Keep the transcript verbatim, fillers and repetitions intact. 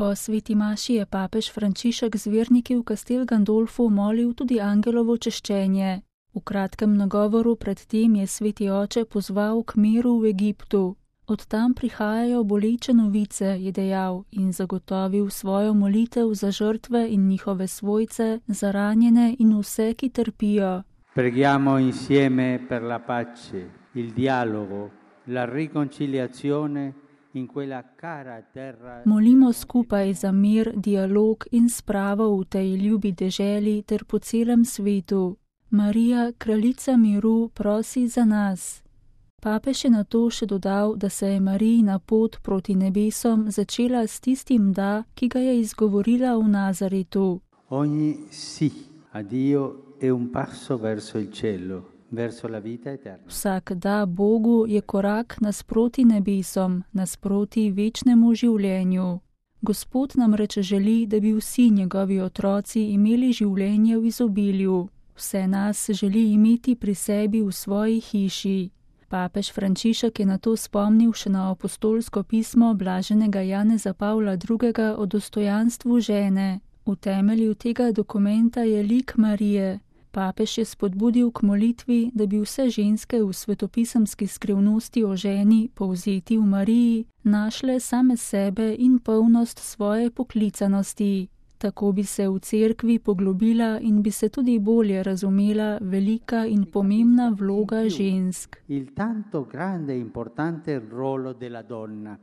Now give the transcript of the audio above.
Po sveti maši je papež Frančišek z verniki v Castel Gandolfu molil tudi angelovo češčenje. V kratkem nagovoru pred tem je sveti oče pozval k miru v Egiptu. Od tam prihajajo boleče novice, je dejal in zagotovil svojo molitev za žrtve in njihove svojce, za ranjene in vse, ki trpijo. Preghiamo insieme per la pace, il dialogo, la riconciliazione in quella cara terra. Molimo skupaj za mir, dialog in spravo v tej ljubi deželi ter po celem svetu. Marija, kraljica miru, prosi za nas. Papež je nato še dodal, da se je Marijina pot proti nebesom začela s tistim da, ki ga je izgovorila v Nazaretu. Ogni sì a Dio è un passo verso il cielo, verso la vita eterna. Vsak da Bogu je korak nasproti nebesom, nasproti večnemu življenju. Gospod nam reče želi, da bi vsi njegovi otroci imeli življenje v izobilju. Vse nas želi imeti pri sebi v svoji hiši. Papež Frančišek je nato spomnil še na apostolsko pismo blaženega Janeza Pavla drugega o dostojanstvu žene. V temelju tega dokumenta je lik Marije. Papež je spodbudil k molitvi, da bi vse ženske v svetopisemski skrivnosti o ženi, povzeti v Mariji, našle same sebe in polnost svoje poklicanosti. Tako bi se v cerkvi poglobila in bi se tudi bolje razumela velika in pomembna vloga žensk. Il tanto grande e importante ruolo della donna.